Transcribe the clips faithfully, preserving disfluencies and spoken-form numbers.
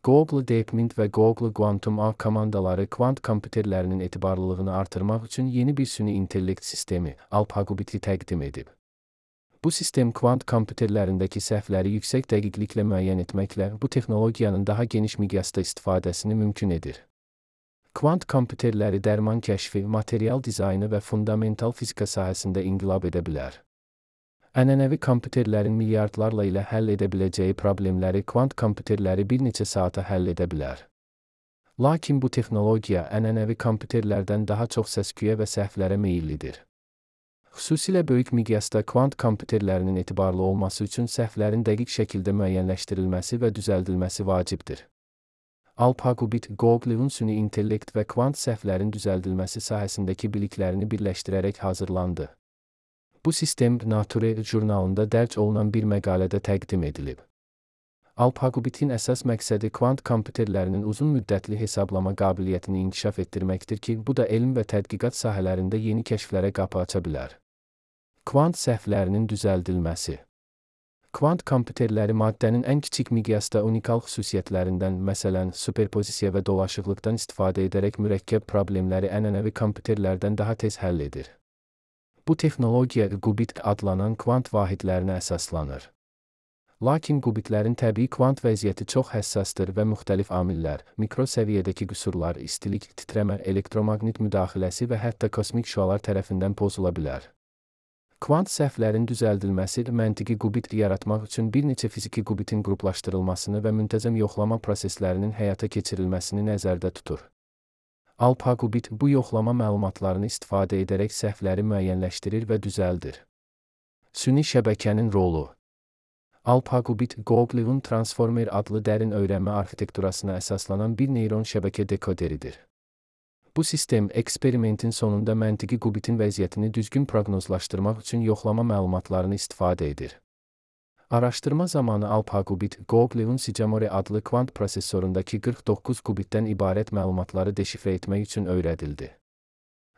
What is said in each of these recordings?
Google DeepMind və Google Quantum A komandaları kvant kompüterlərinin etibarlılığını artırmaq üçün yeni bir süni intellekt sistemi, AlphaQubit-i təqdim edib. Bu sistem kvant kompüterlərindəki səhvləri yüksək dəqiqliklə müəyyən etməklə bu texnologiyanın daha geniş miqyasda istifadəsini mümkün edir. Kvant kompüterləri dərman kəşfi, material dizaynı və fundamental fizika sahəsində inqilab edə bilər. Ənənəvi kompüterlərin milyardlarla ilə həll edə biləcəyi problemləri kvant kompüterləri bir neçə saata həll edə bilər. Lakin bu texnologiya ənənəvi kompüterlərdən daha çox səs-küyə və səhvlərə meyillidir. Xüsusilə böyük miqyasda kvant kompüterlərinin etibarlı olması üçün səhvlərin dəqiq şəkildə müəyyənləşdirilməsi və düzəldilməsi vacibdir. AlphaQubit, Google'un süni intellekt və kvant səhvlərin düzəldilməsi sahəsindəki biliklərini birləşdirərək hazırlandı. Bu sistem Nature jurnalında dərc olunan bir məqalədə təqdim edilib. AlphaQubit-in əsas məqsədi kvant kompüterlərinin uzun müddətli hesablama qabiliyyətini inkişaf etdirməkdir ki, bu da elm və tədqiqat sahələrində yeni kəşflərə qapı aça bilər. Kvant səhvlərinin düzəldilməsi. Kvant kompüterləri maddənin ən kiçik miqyasda unikal xüsusiyyətlərindən, məsələn, superpozisiya və dolaşıqlıqdan istifadə edərək mürəkkəb problemləri ənənəvi kompüterlərdən daha tez həll edir. Bu texnologiya qubit adlanan kvant vahidlərinə əsaslanır. Lakin qubitlərin təbii kvant vəziyyəti çox həssasdır və müxtəlif amillər, mikro səviyyədəki qüsurlar, istilik, titrəmə, elektromaqnit müdaxiləsi və hətta kosmik şüalar tərəfindən pozula bilər. Kvant səhvlərin düzəldilməsi məntiqi qubit yaratmaq üçün bir neçə fiziki qubitin qruplaşdırılmasını və müntəzəm yoxlama proseslərinin həyata keçirilməsini nəzərdə tutur. AlphaQubit bu yoxlama məlumatlarını istifadə edərək səhvləri müəyyənləşdirir və düzəldir. Süni şəbəkənin rolu. AlphaQubit, Google'un Transformer adlı dərin öyrənmə arxitekturasına əsaslanan bir neyron şəbəkə dekoderidir. Bu sistem, eksperimentin sonunda məntiqi qubitin vəziyyətini düzgün proqnozlaşdırmaq üçün yoxlama məlumatlarını istifadə edir. Araşdırma zamanı AlphaQubit, Google'un Sycamore adlı kvant prosesorundakı qırx doqquz qubitdən ibarət məlumatları deşifrə etmək üçün öyrədildi.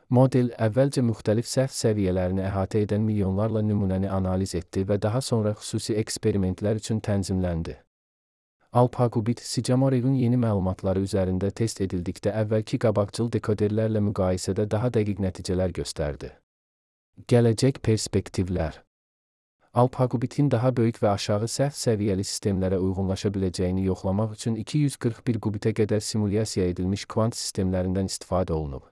Model, əvvəlcə müxtəlif səhv səviyyələrini əhatə edən milyonlarla nümunəni analiz etdi və daha sonra xüsusi eksperimentlər üçün tənzimləndi. AlphaQubit, Sycamore'un yeni məlumatları üzərində test edildikdə əvvəlki qabaqcıl dekoderlərlə müqayisədə daha dəqiq nəticələr göstərdi. Gələcək perspektivlər. AlphaQubit-in daha böyük və aşağı səhv səviyyəli sistemlərə uyğunlaşa biləcəyini yoxlamaq üçün iki yüz qırx bir qubitə qədər simulyasiya edilmiş kvant sistemlərindən istifadə olunub.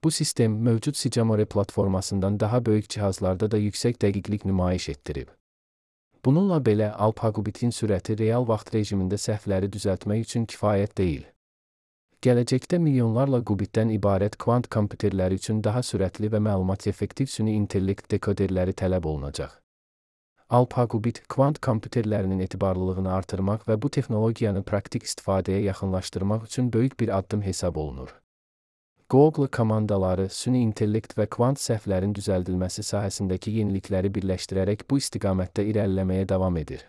Bu sistem, mövcud Sycamore platformasından daha böyük cihazlarda da yüksək dəqiqlik nümayiş etdirib. Bununla belə, AlphaQubit-in sürəti real vaxt rejimində səhvləri düzəltmək üçün kifayət deyil. Gələcəkdə milyonlarla qubitdən ibarət kvant kompüterləri üçün daha sürətli və məlumat effektiv süni intellekt dekoderləri tələb olunacaq. AlphaQubit, kvant kompüterlərinin etibarlılığını artırmaq və bu texnologiyanı praktik istifadəyə yaxınlaşdırmaq üçün böyük bir addım hesab olunur. Google komandaları süni intellekt və kvant səhvlərin düzəldilməsi sahəsindəki yenilikləri birləşdirərək bu istiqamətdə irəliləməyə davam edir.